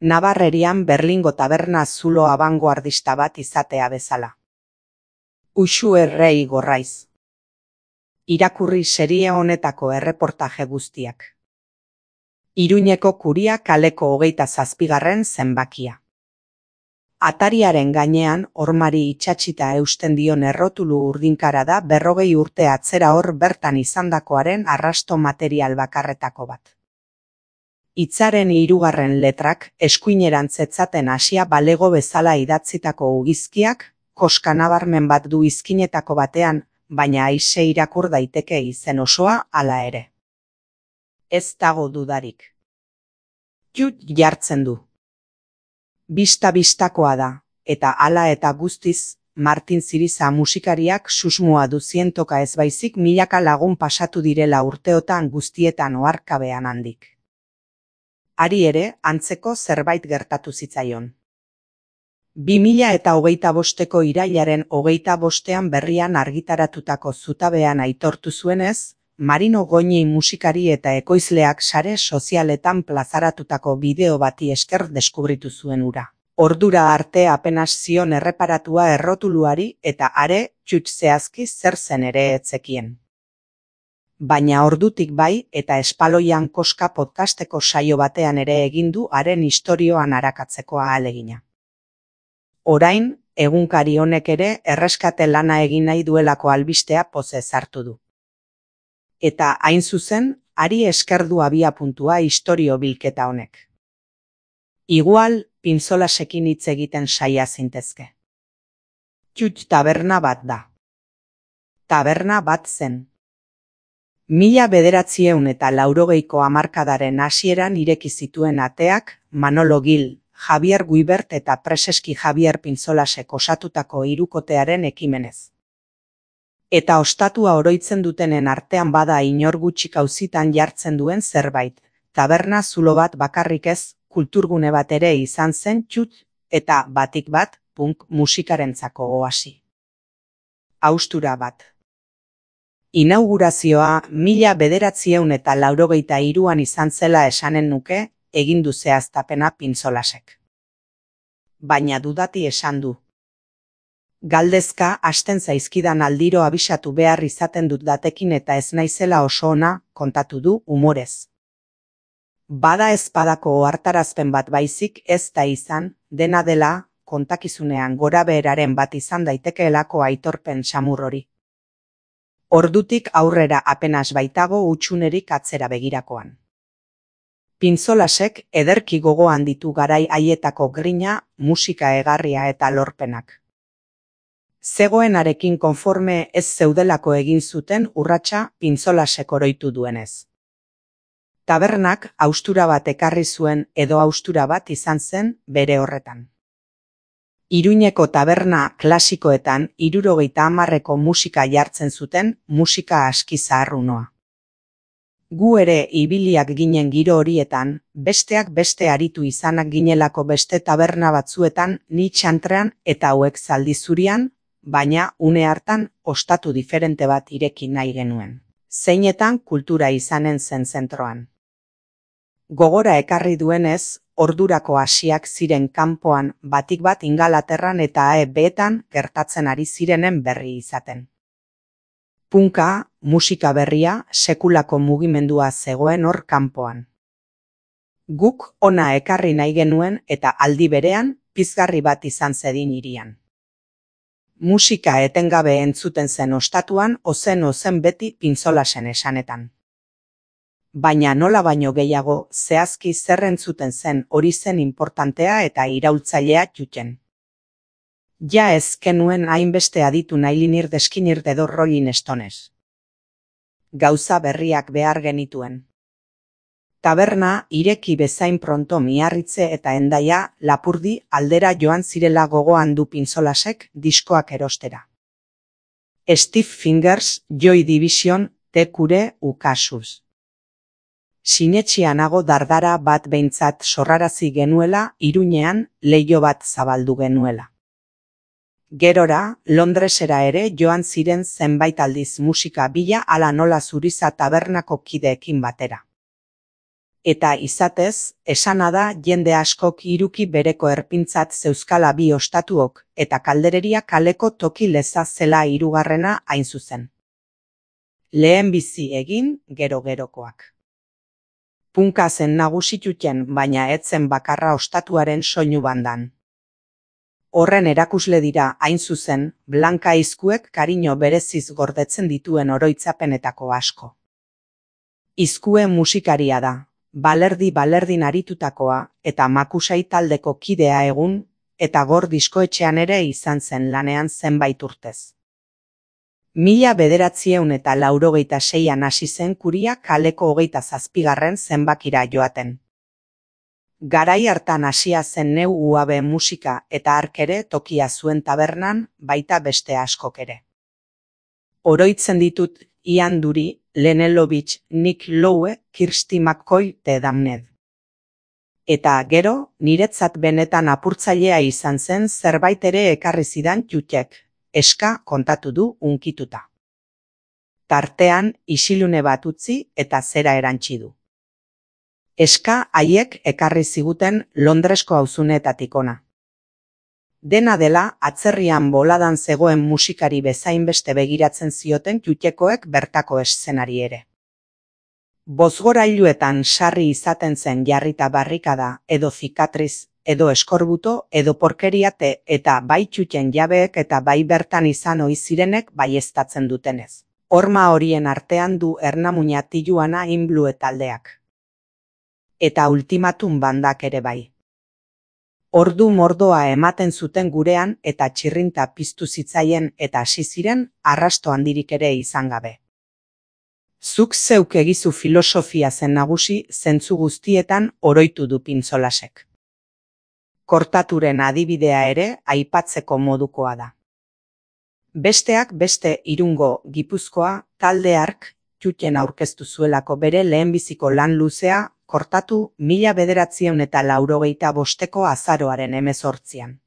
Nabarrerian Berlingo taberna zulo abangoardista bat izatea bezala. Uxu errei gorraiz. Irakurri serie honetako erreportaje guztiak. Iruñeko Kuria kaleko 27. zenbakia. Atariaren gainean hormari itxatxita eusten dion errotulu urdinkara da 40 urte atzera hor bertan izandakoaren arrasto material bakarretako bat. Hitzaren 3. letrak eskuinerantz etzaten hasia balego bezala idatzitako ugizkiak, koska nabarmen bat du izkinetako batean, baina aise irakur daiteke izen osoa hala ere. Ez dago dudarik. Jut jartzen du. Bista-bistakoa da, eta hala eta guztiz, Martin Ziriza musikariak susmoa du zientoka ez baizik milaka lagun pasatu direla urteotan guztietan oharkabean handik. Hari ere, antzeko zerbait gertatu zitzaion. 2025ko irailaren 25ean berrian argitaratutako zutabean aitortu zuenez, Marino Goñi musikari eta ekoizleak sare sozialetan plazaratutako bideo bati esker deskubritu zuen hura. Ordura arte apenas zion erreparatua errotuluari eta are txut zehazki zer zen ere etzekien. Baina ordutik bai eta espaloian koska podcasteko saio batean ere egin du haren istorioan arakatzeko ahalegina. Orain, egunkari honek ere erreskate lana egin nahi duelako albistea pozez hartu du. Eta hain zuzen, hari esker du abiapuntua istorio bilketa honek. Igual, pinzolasekin hitz egiten saia zintezke. Txut taberna bat da. Taberna bat zen. 1980ko hamarkadaren hasieran ireki zituen ateak Manolo Gil, Javier Guibert eta Preseski Javier Pinzolasek osatutako hirukotearen ekimenez. Eta ostatua oroitzen dutenen artean bada inor gutxik auzitan jartzen duen zerbait, taberna zulo bat bakarrik ez, kulturgune bat ere izan zen txut, eta batik bat, punk musikarentzako oasi. Haustura bat. Inaugurazioa 1983an izan zela esanen nuke, egindu zehaztapena Pintzolasek. Baina dudati esan du. Galdezka hasten zaizkidan aldiro abisatu behar izaten dut datekin eta ez naizela oso ona, kontatu du humorez. Bada ezpadako ohartarazpen bat baizik ez da izan, dena dela, kontakizunean gorabeheraren bat izan daitekeelako aitorpen samur hori. Ordutik aurrera apenas baitago hutsunerik atzera begirakoan. Pintzolasek ederki gogoan ditu garai haietako grina, musika egarria eta lorpenak. Zegoenarekin konforme ez zeudelako egin zuten urratsa Pintzolasek oroitu duenez. Tabernak haustura bat ekarri zuen edo haustura bat izan zen bere horretan. Iruñeko taberna klasikoetan 70ko musika jartzen zuten musika aski zaharrunoa. Gu ere ibiliak ginen giro horietan, besteak beste aritu izanak ginelako beste taberna batzuetan ni txantrean eta hauek zaldi zurian, baina une hartan ostatu diferente bat ireki nahi genuen. Zeinetan kultura izanen zen zentroan. Gogora ekarri duenez, ordurako hasiak ziren kanpoan batik bat Ingalaterran eta AEB-etan gertatzen ari zirenen berri izaten. Punka, musika berria, sekulako mugimendua zegoen hor kanpoan. Guk ona ekarri nahi genuen eta aldi berean pizgarri bat izan zedin hirian. Musika etengabe entzuten zen ostatuan ozen beti Pintzolasen esanetan. Baina nola baino gehiago zehazki zer entzuten zen hori zen inportantea eta iraultzailea txuten. Ja ez genuen hainbeste aditu nailinir deskinir dedorroin estonez. Gauza berriak behar genituen. Taberna ireki bezain pronto Miarritze eta Hendaia Lapurdi aldera joan zirela gogoan du Pintzolasek diskoak erostera. Steve Fingers, Joy Division, Tekure ukasuz. Sinetxia nago dardara bat behintzat sorrarazi genuela Iruñean leiho bat zabaldu genuela. Gerora, Londresera ere joan ziren zenbait aldiz musika bila ala nola Zuriza tabernako kideekin batera. Eta izatez, esana da jende askok hiruki bereko erpintzat zeuzkala bi ostatuok, eta kaldereria kaleko toki leza zela hirugarrena hain zuzen. Lehen bizi egin, gero-gerokoak. Punka zen nagusituten, baina etzen bakarra ostatuaren soinu bandan. Horren erakusle dira, hain zuzen, Blanka izkuek kariño bereziz gordetzen dituen oroitzapenetako asko. Izkue musikaria da, balerdi-balerdin aritutakoa, eta Makusai taldeko kidea egun, eta Gor diskoetxean ere izan zen lanean zenbait urtez. 1986an hasi zen Kuria kaleko 27. zenbakira joaten. Garai hartan hasia zen Neu UAB musika eta hark ere tokia zuen tabernan, baita beste askok ere. Oroitzen ditut Ian Dury, Len Lovitch, Nick Lowe, Kirsty McCoy te Damned. Eta gero, niretzat benetan apurtzailea izan zen zerbait ere ekarri zidan Jutek, eska kontatu du unkituta. Tartean, isilune bat utzi eta zera erantsi du. Eska haiek ekarri ziguten Londresko auzunetatik ona. Dena dela, atzerrian boladan zegoen musikari bezain beste begiratzen zioten Jutekoek bertako eszenari ere. Bozgorailuetan sarri izaten zen jarrita barrikada, edo zikatriz, edo eskorbuto, edo porkeriate, eta bai Juten jabeek eta bai bertan izan ohi zirenek baieztatzen dutenez. Horma horien artean du Ernamuina Tijuana in Blue taldeak. Eta Ultimatum bandak ere bai. Ordu mordoa ematen zuten gurean eta txirrinta piztu zitzaien eta hasi ziren arrasto handirik ere izan gabe. Zuk zeuk egizu filosofia zen nagusi zentzu guztietan oroitu du Pintzolasek. Kortaturen adibidea ere aipatzeko modukoa da. Besteak beste Irungo, Gipuzkoa, talde hark, Juten aurkeztu zuelako bere lehenbiziko lan luzea, Kortatu 1985ko azaroaren 18an.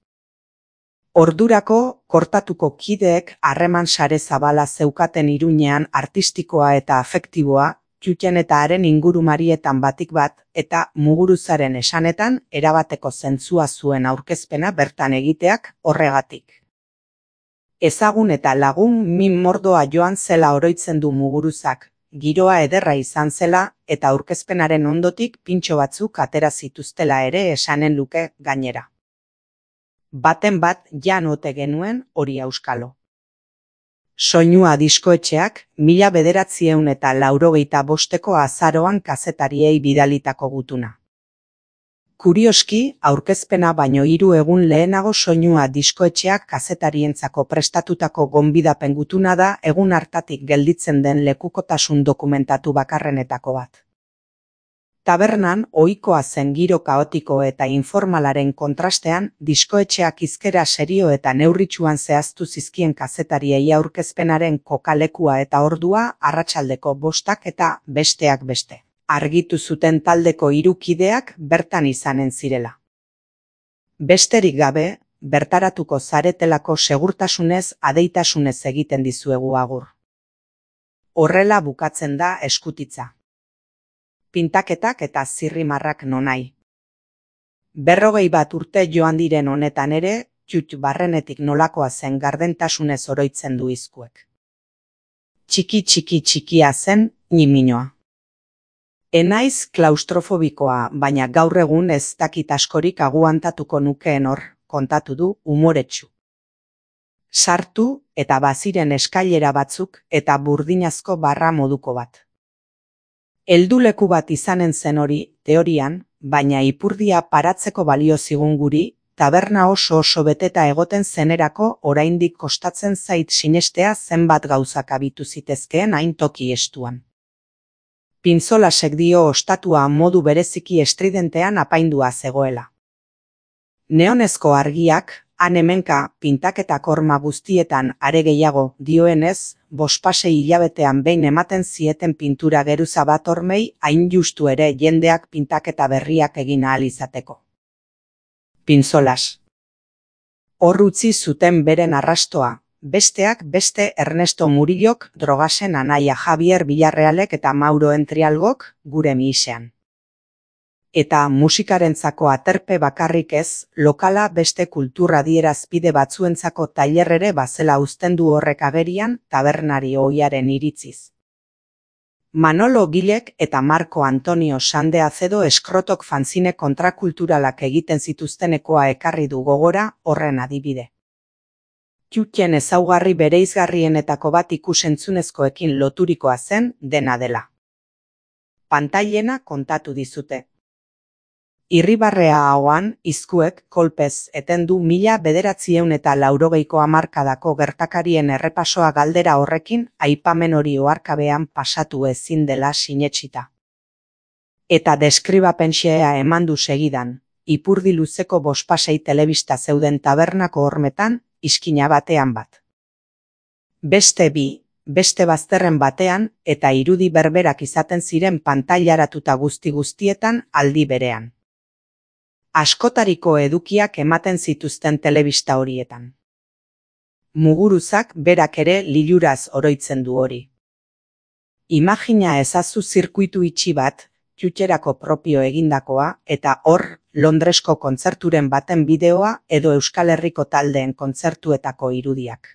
Ordurako, Kortatuko kideek harreman sare zabala zeukaten Iruñean artistikoa eta afektiboa, Juten eta haren ingurumarietan batik bat, eta Muguruzaren esanetan erabateko zentzua zuen aurkezpena bertan egiteak horregatik. Ezagun eta lagun min mordoa joan zela oroitzen du Muguruzak, giroa ederra izan zela eta aurkezpenaren ondotik pintxo batzuk atera zituztela ere esanen luke gainera. Baten bat jan ote genuen hori auskalo. Soinua diskoetxeak 1985ko azaroan kazetariei bidalitako gutuna. Kurioski, aurkezpena baino 3 egun lehenago soinua diskoetxeak kazetarientzako prestatutako gonbidapen gutuna da egun hartatik gelditzen den lekukotasun dokumentatu bakarrenetako bat. Tabernan, ohikoa zen giro kaotiko eta informalaren kontrastean, diskoetxeak hizkera serio eta neurritsuan zehaztu zizkien kazetariei aurkezpenaren kokalekua eta ordua arratsaldeko 5 eta besteak beste. Argitu zuten taldeko 3 kideak bertan izanen zirela. Besterik gabe, bertaratuko zaretelako segurtasunez adeitasunez egiten dizuegu agur. Horrela bukatzen da eskutitza. Pintaketak eta zirrimarrak nonai. 41 urte joan diren honetan ere, Jut barrenetik nolakoa zen gardentasunez oroitzen du izkuek. Txikia zen, ñiminoa. Enaiz klaustrofobikoa, baina gaur egun ez dakit askorik aguantatuko nukeen hor, kontatu du umoretsu. Sartu eta baziren eskailera batzuk eta burdinazko barra moduko bat. Helduleku bat izanen zen hori, teorian, baina ipurdia paratzeko balio zigun guri, taberna oso beteta egoten zenerako oraindik kostatzen zait sinestea zenbat gauzak abitu zitezkeen hain toki estuan. Pintzolasek dio ostatua modu bereziki estridentean apaindua zegoela. Neonezko argiak, han-hemenka pintaketak horma guztietan are gehiago dioenez, 5 hilabetean behin ematen zieten pintura geruza bat hormei hain justu ere jendeak pintaketa berriak egin ahal izateko. Pintzolas. Hor utzi zuten beren arrastoa, besteak beste Ernesto Murillok, Drogasen anaia Javier Villarrealek eta Mauro Entrialgok gure misean. Eta musikarentzako aterpe bakarrik ez, lokala beste kultur adierazpide batzuentzako tailer ere bazela uzten du horrek agerian tabernari ohiaren iritziz. Manolo Gilek eta Marco Antonio Sande Acedo Eskrotok fanzine kontrakulturalak egiten zituztenekoa ekarri du gogora horren adibide. Txutxen ezaugarri bereizgarrienetako bat ikusentzunezkoekin loturikoa zen dena dela. Pantailena kontatu dizute. Irribarrea ahoan, izkuek, kolpez, eten du 1980ko hamarkadako gertakarien errepasoa galdera horrekin aipamen hori oharkabean pasatu ezin dela sinetsita. Eta deskribapenxea eman du segidan, ipurdi luzeko bospasei telebista zeuden tabernako hormetan, iskina batean bat. Beste bi, beste bazterren batean, eta irudi berberak izaten ziren pantailaratuta guzti-guztietan aldi berean. Askotariko edukiak ematen zituzten telebista horietan. Muguruzak berak ere liluraz oroitzen du hori. Imagina ezazu zirkuitu itxi bat, txutxerako propio egindakoa, eta hor, Londresko kontzerturen baten bideoa edo Euskal Herriko taldeen kontzertuetako irudiak.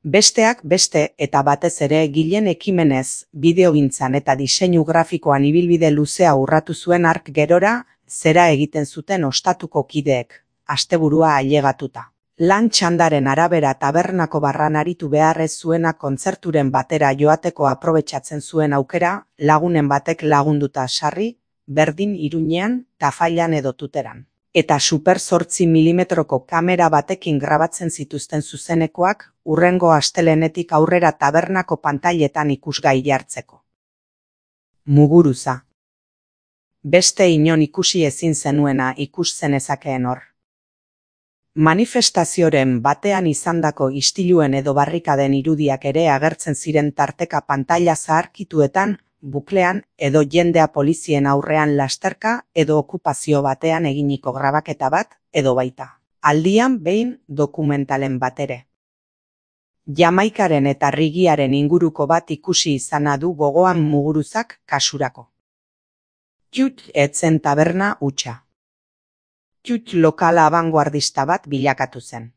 Besteak beste eta batez ere Gilen ekimenez, bideogintzan eta diseinu grafikoan ibilbide luzea urratu zuen hark gerora, zera egiten zuten ostatuko kideek, asteburua ailegatuta. Lan txandaren arabera tabernako barran aritu beharrez zuena kontzerturen batera joateko aprobetxatzen zuen aukera, lagunen batek lagunduta sarri, berdin Iruñean, Tafallan edo Tuteran. Eta super 8 milimetroko kamera batekin grabatzen zituzten zuzenekoak, hurrengo astelenetik aurrera tabernako pantailetan ikusgai jartzeko. Muguruza. Beste inon ikusi ezin zenuena ikus zenezakeen hor. Manifestazioren batean izandako istiluen edo barrikaden irudiak ere agertzen ziren tarteka pantaila zaharkituetan, buklean edo jendea polizien aurrean lasterka edo okupazio batean eginiko grabaketa bat edo baita. Aldian behin dokumentalen bat ere. Jamaikaren eta Rigiaren inguruko bat ikusi izana du gogoan Muguruzak kasurako. Txut etzen taberna hutsa. Txut lokala abanguardista bat bilakatu zen.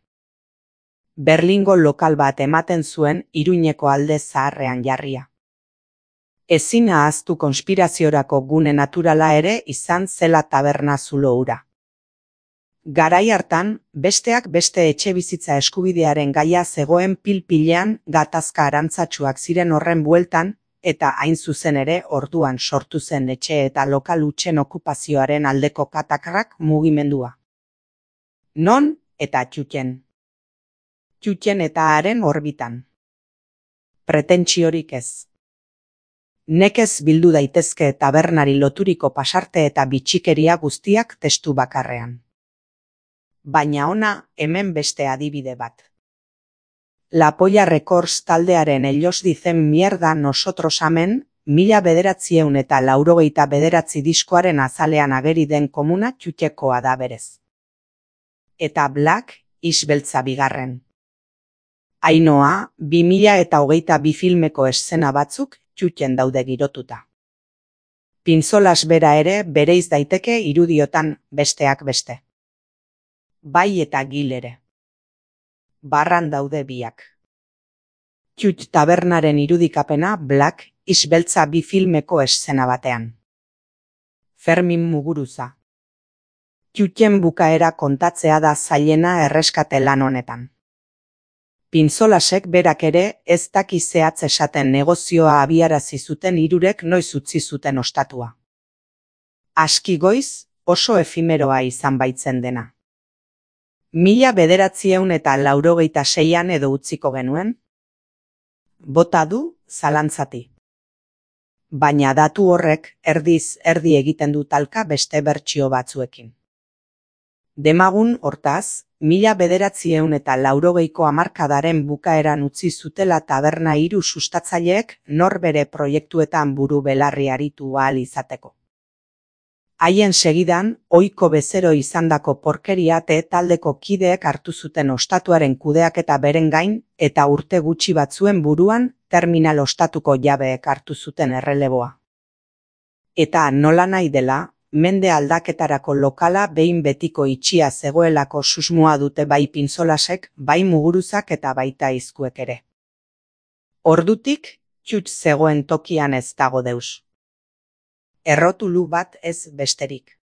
Berlingo lokal bat ematen zuen Iruñeko alde zaharrean jarria. Ezin ahaztu konspiraziorako gune naturala ere izan zela taberna zulo hura. Garai hartan, besteak beste etxebizitza eskubidearen gaia zegoen pil-pilean gatazka arantzatsuak ziren horren bueltan, eta hain zuzen ere orduan sortu zen etxe eta lokal hutsen okupazioaren aldeko katakrak mugimendua. Non eta Txutxen. Txutxen eta haren orbitan. Pretentsiorik ez. Nekez bildu daitezke tabernari loturiko pasarte eta bitxikeria guztiak testu bakarrean. Baina ona hemen beste adibide bat. La Polla Records taldearen Ellos dicen mierda nosotros amen, 1989 diskoaren azalean ageri den komuna Txutxekoa da berez. Eta Black Isbeltza bigarren. Ainoa, 2022 filmeko eszena batzuk Txutxen daude girotuta. Pintzolas bera ere bereiz daiteke irudiotan besteak beste. Bai eta Gil ere. Barran daude biak. Txut tabernaren irudikapena Black Isbeltza bi filmeko eszena batean. Fermin Muguruza. Txutxen bukaera kontatzea da zailena erreskate lan honetan. Pintzolasek berak ere ez daki zehatz esaten negozioa abiarazi zuten hirurek noiz utzi zuten ostatua. Aski goiz, oso efimeroa izan baitzen dena. 1986an edo utziko genuen? Bota du, zalantzati. Baina datu horrek erdiz erdi egiten du talka beste bertsio batzuekin. Demagun hortaz, 1980ko hamarkadaren bukaeran utzi zutela taberna hiru sustatzaileek norbere proiektuetan buru belarri aritu ahal izateko. Haien segidan, ohiko bezero izandako porkeria taldeko kideek hartu zuten ostatuaren kudeaketa beren gain eta urte gutxi batzuen buruan terminal ostatuko jabeek hartu zuten erreleboa. Eta nola nahi dela, mende aldaketarako lokala behin betiko itxia zegoelako susmoa dute bai pintzolasek, bai muguruzak eta baita izkuek ere. Ordutik, txutx zegoen tokian ez dago deus. Errotulu bat ez besterik.